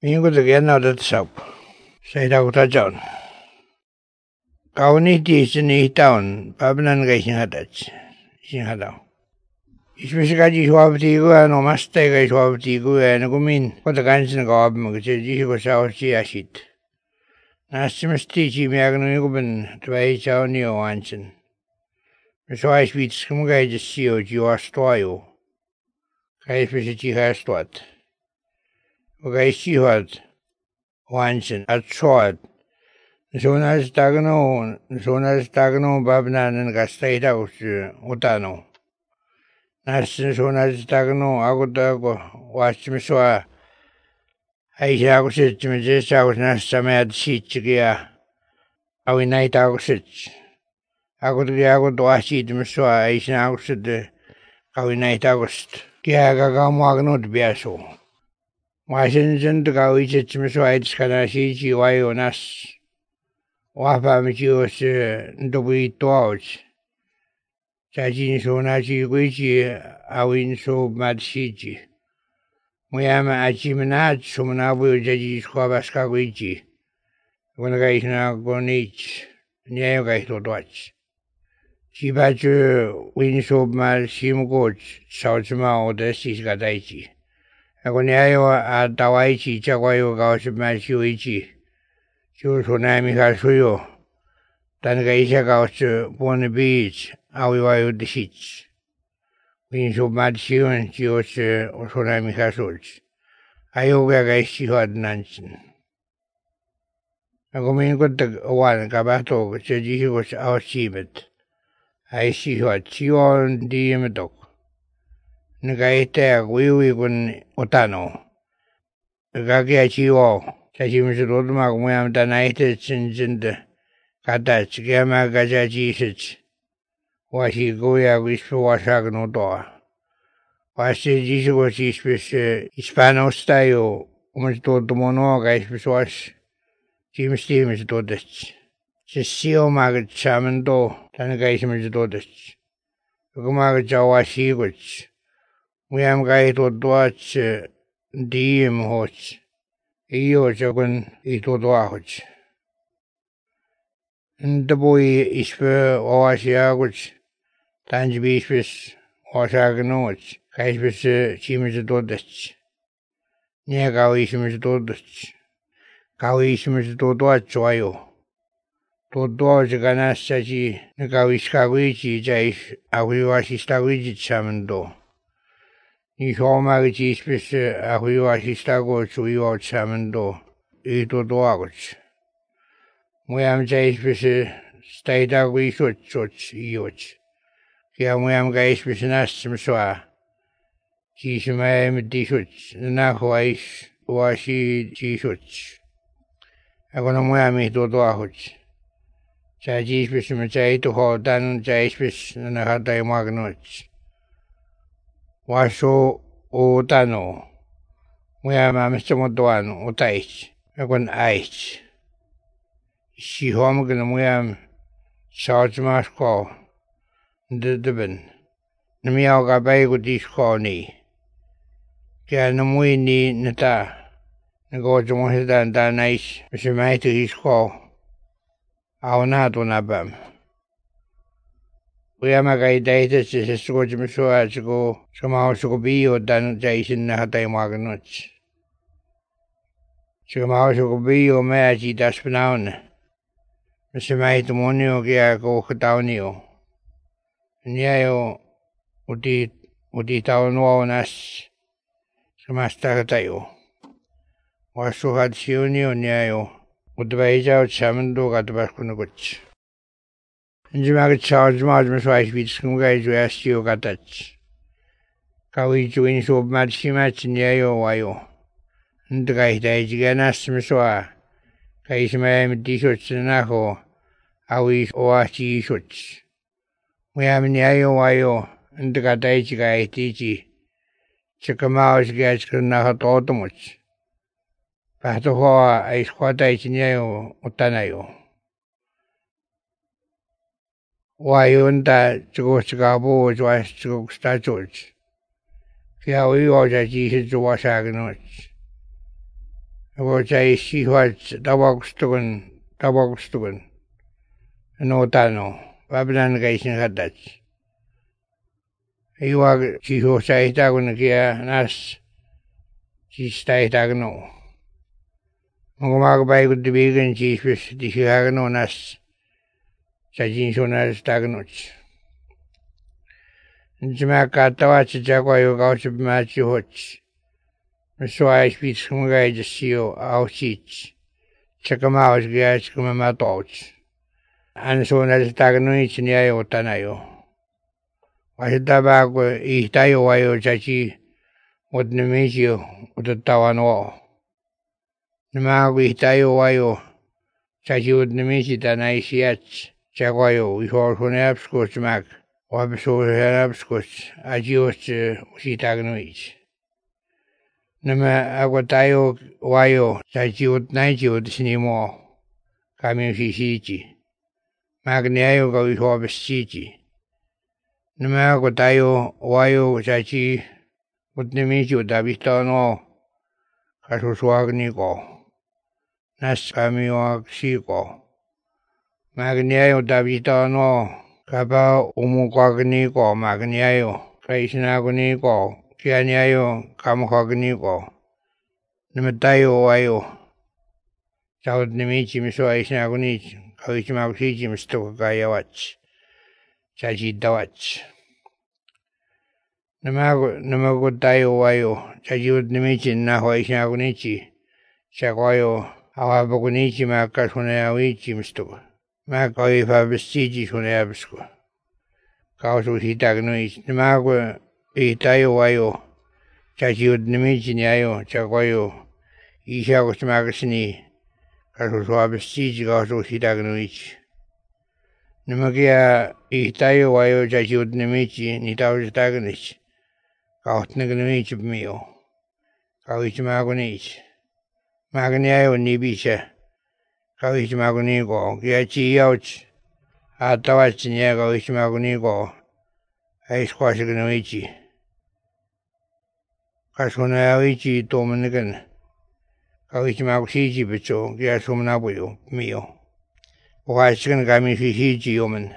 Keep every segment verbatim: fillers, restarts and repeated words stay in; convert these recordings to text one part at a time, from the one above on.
Mingutuk yanaudat saup. Saidau tajaun. Kauni di sini tahun, pabenan kai singhatach. Singhatau. Isbisikaji suabtigu ano mastai kai suabtigu ano kumin. Kota kansin kawab magse jisi ko sao si asit. Nasimesti chi miagno yukuben tbai sao ni o ansin. Misoai spits kumugai jisio jiwa stoyo. Kai spisi chi hastuat. Ugai sihat wansin at soat. Sonas tagno, sonas tagno babnan kastai taus utano. Nasin sonas tagno aku tago wasmiswa. Aisha aku sit mejesa aku nas samayat sit kia. Awinai tago sit. Aku tuh aku tuh asit miswa Aisha aku sit kawinai tago sit. Kia kakamu agno biaso. Wasin jen tu kau icet miswa itu sekarang si jiwa nas. Wapa mecios ndobu itu aus. Jadi sona si kuici awin so madsiji. Muyama aci menat so menabu jadi sekolah ska kuici. Kena kais na konich niayo kais lodoach. Si baju win so mal sim coach sausma odesis gadaici. Aku niayo atawaici cakwayo kau semal siuici. Siu sonami kasuyo. Dan kaisa kau se pone beach awi wayo desich. Win so mad siun siu se sonami kasuj. Ayo ga kais sihat nansin. Aku mingkut tak awan kabato se jisi ko se awasibet. Ai sihat siun di metok. Nagaita wiwi kun utano. Nagakia siwa. Kasi misalnya mak muyam tanah itu cincin kata cikama kaca cisit. Wasi goya wispu wasak notoa. Wasi jisu wasi ispes Hispanos tayo. Umas todo mono ka ispes was. Cimis cimis todes. Sesio magat samento tanah ka ispes todes. Kumagat jawasi guts. Muyam ka itu tuat diem hots. Iyo jagun itu doahuj. Ndabui ispe oasiaguj. Tanjibi ispes oasagnuj. Kaispes chimis dodech. Nia kau ismis dodech. Kau ismis dodoach wayo. Dodoach ganas saji. Kau iskaguichi jais ahuiwasistaguichi chamendo. Ni soma gichi ispes ahui wasistago suiwa chamendo ito doagoch. Muyam ja ispes staidago isoch soch ioch. Kia muyam ga ispes nasim soa. Jismaya medisoch. Naho ais wasi jisoch. Ako na muyam ito doagoch. Ja jispes maja ito ho dan ja ispes nanahatay magnoch. Waso utano. Muya mamis motoan utais. Akon ais. Si hom gna muya sarge masko. Ndedeben. Namiao ga bay go disko ni. Kaya namui ni nata. Nago jomo hidan da nais. Misi maiti isko. Aonato nabam. Uyama kai daita se sesuko jimisua siko sumao suko biyo dan jaisin na hatay maganoch. Sumao suko biyo mea chi daspanaun. Masimai tumonio kia ko kataunio. Niayo uti uti taunuao nas samasta katayo. Wasuhat siunio niayo utbaijao chamendo katabaskunukuch. Njimaga charge margin swice with some guys who asked you got that. Kawi join so mad she match in yayo wayo. And the guy died again as Missoa. Kaisma t-shirts and naho. Awi oachi shirts. We have in yayo wayo. And the guy guy teachy. Chicamaus gets nahat automuch. Patohoa I squat in yayo utanayo. Wayunda chugo chigabo jwa chugo sta George. Kia ui o ja ji hi jwa shagnoch. Ako sa isihuat tawagustugan, tawagustugan. Ano tano, babanan ka isin hadat. Iwag siho sa itago na kaya nas sista itago no. Mga magabay ko dibigan sispes di siya no nas sa jinso na itago no. Hindi makatawa sa jakwa yung kausap machi hots. Maswai spits kumagay sa siyo ausits. Tsaka maos kaya sa kumamatots. Ano so na itago no niya yung tanayo. Wasitaba ko ihtayo wayo chachi utnemisyo utatawan Nama ko ihtayo wayo chachi utnemisi tanaisiyat chakwayo wihorhunapsko smak wabsohanapsko ajios usitagnoich. Nama ako tayo wayo chachi utnaichi utsinimo kami usisichi. Magniayo ka wihorabasichi. Nama ko tayo wayo chachi utnimichu dabistano kasuswagni ko nas kami waksi ko magniayo dabistano kaba umukwagni ko magniayo kaisnagni ko kianiayo kamukwagni ko nama tayo wayo sa utnimichi miso aisnagni kawismaksichi misto kakayawach chachi dawach. Nama nama ko tayo wayo chachi utnimichi na hoisna kunichi chakwayo awabakunichi makasunayawichi misto makawi fabestichi sunayabisko kausu hitagnuich nama ko itayo wayo chachi utnimichi nyayo chakwayo isha kusmakasni kausu fabestichi kausu hitagnuich. Nama kaya ihtayo wayo chachi utnimichi nitawistagnichi. Kautnagnimichi pmiyo. Kawichimagunichi. Magniayo nibisha. Kawichimaguniko. Kaya chiyauch. Atawachi niya kawichimaguniko. Aiskwasignimichi. Kasunayawichi tomanigan. Kawichimagusichi bicho. Kaya sumnabuyo pmiyo. Wakasigan kami sisichi yoman.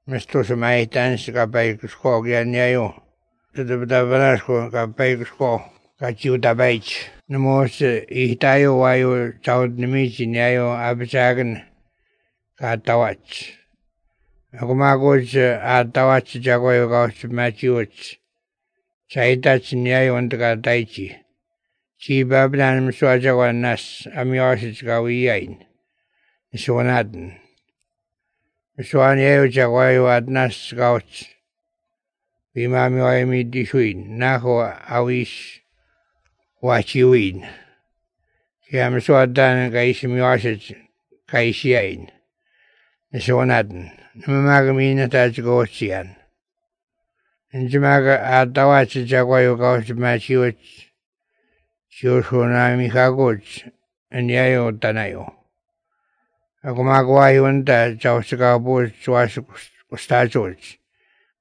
Misto sa maitans kapay kusko kaya niyayo. Tadabdabanasko kapay kusko kachi utabaych. Namos ihtayo wayo chaud nimichi niyayo abisagan katawach. Ako magos atawach chakwayo kaus machiwach. Saitach niyayo antakataychi. Si babnan miswa chakwan nas amiyosich kawiyain. Suanadan. Suanayo chakwayo at nas kauch. Bimami waimi dishuin. Nako awish wachiwin. Kaya masuadan kaisimiwasach kaisiyain. Suanadan. Namamagami na tachikosiyan. Njimaga atawach chakwayo kauch machiwach. Siyosunami kagoch. Anyayo tanayo. Ako magawayo nta chausikapo chuas ustachoch.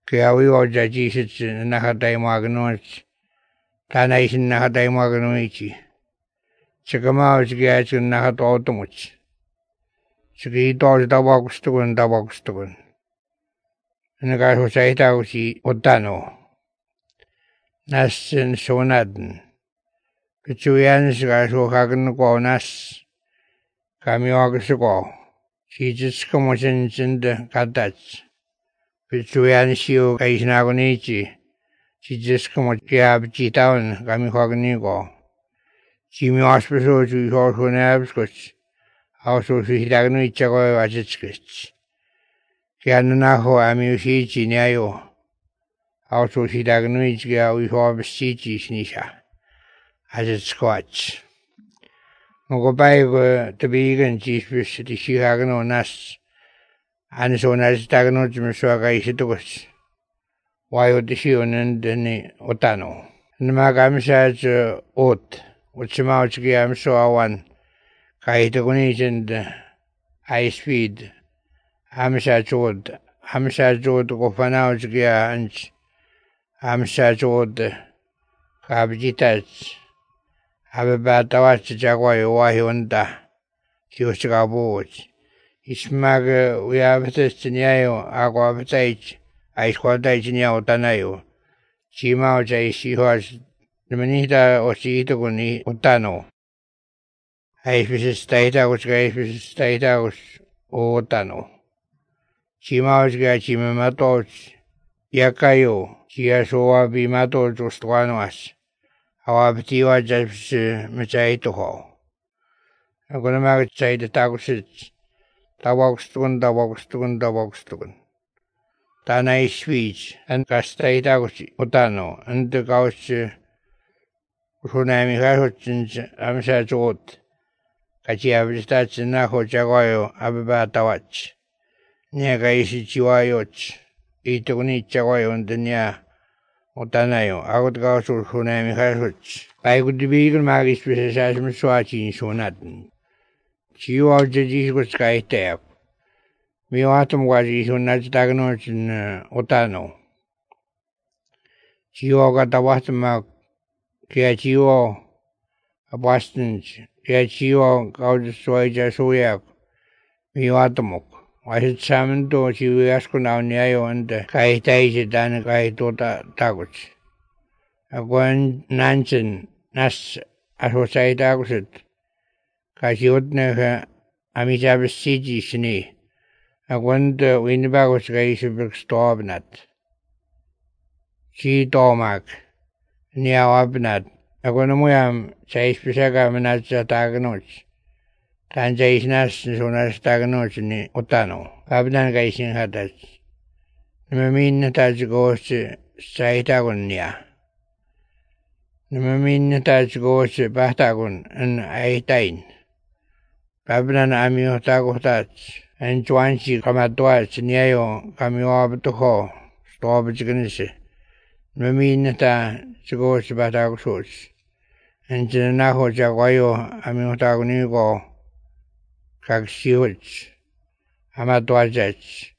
Kaya wiwa jajisich nakatay maganoch. Tanaisin nakatay maganoichi. Chikamao chikiyach nakatautomuch. Chikito tawagustugun tawagustugun. Nakaso sa itaw si Otano. Nas sunadan. Kachuyan sikaso kagan ko nas. Kami wagustuko. Chijitsuko mo sinsinda katach. Pichuyan siyo kaisnagunichi. Chijitsuko mo kiabchitaon kami waguniko. Chimi waspaso chuihoso nabskoch. Auso suhitagnuicha ko wachitskich. Kaya nanaho ami usichi niayo. Auso suhitagnuicha kaya uihoabasichi sinisha. Achitskoch. Mogopay ko tabigan chispis di sihagano nas. Anso nas tagano chumiswa kaisitukos. Wayo di siyo nandani Otano. Namagamisa sa ot. Utsimao chiki amso awan. Kaitukunisend high speed. Amsa chod. Amsa chod ko panao chiki anch. Amsa chod. Kabjitats. Ababatawachi Jaguayo Wahionda, Hiosgaboch. Ismag Uyabatistinio, Aguabatage, Aisquadagenia Otanayo, Chimao Jaishihos, the Manita Ositoguni Otano. Aishvis Stata, which Gaishvis Stata was Otano. Chimaos Gachimamatos, Yakayo, Chiasoa Bimato Jostuanos. Awabtiwa just Machaito. I'm going to make say the taxes. Tawakstun, Tawakstun, Tawakstun. Tana speech and Castai Taguchi, Otano, and the Gauch Runami Hutchins, Amsa Jot. Kachia Vistats and Naho Jaguayo, Ababa Tawach. Niagaishi Chiwayoch. Itoni Jaguayo and the Nia. Otanayo, Agot sur Hunami Hasuch. I could be eagle magis with a sasm swatch in Sonatin. She was the Jesus sky tap. Me autumn was his Sonat Dagonoch in Otano. She got the Watamac, Kiachio, a Boston, Kiachio, Gaudius Soja Soyak, me autumn. I had summoned to she was asking down Yayo and the Kaitai Dan Kaitota Taguch. A one Nansen, Nas, as was I Taguset. Kasiotne Amisabas Siji Shni. A one the Winbagos Gaisabuk Storbnat. She Dormac. Nia Abnat. A one Muyam, Chase Pisaga Manatza Taganoch. Tanjais Nas Sonas Taganoch in Otano. Abnan Gaisin Hadas. Namamin Taj goes to Saitagonia. Namamin Taj goes to Batagon and Aitain. Babnan Amio Tagotats and Juanchi Kamatwats Niayo Kamio Abtuho, Storbachiganisi. Namamin Ta goes to Batagos. And Janaho Jaguayo Amio Tagonigo Kaxiwich. Amatwachach.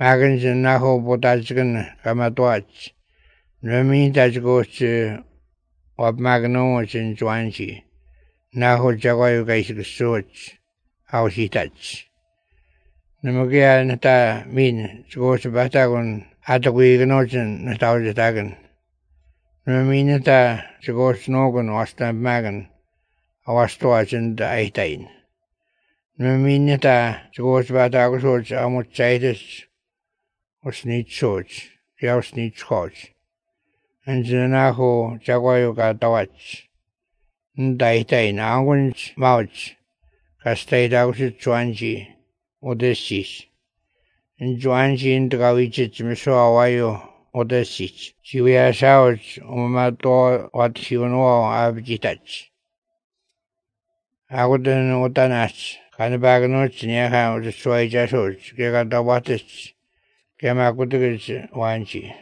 Magans and Naho Botachigan Kamatwach. Namamin Taj goes to Ob Maganoch and Juanchi. Naho Jaguayo Gaisik Soch. How she touch. Namagia Nata mean goes to Batagon at the Wiganochen Natauja Tagan. Namaminata goes Nogan or Stamp Magan. Our stores and the Aitain. Namaminata goes Batagos Amochaitis or Sneech Soch. Yao Sneech Coach. And Zanaho Jaguayo got the watch. Ndaitain, Angun's Mouch. Castai Dausit Juanji, Odessis. And Juanji in the Gavichit Misoawayo, Odessis. She wears out Umato what you know Abjitach. I wouldn't know Tanas, Canabaganoch near how the Soja Soch, Gagatawatis, Kamakutis, Wanchi.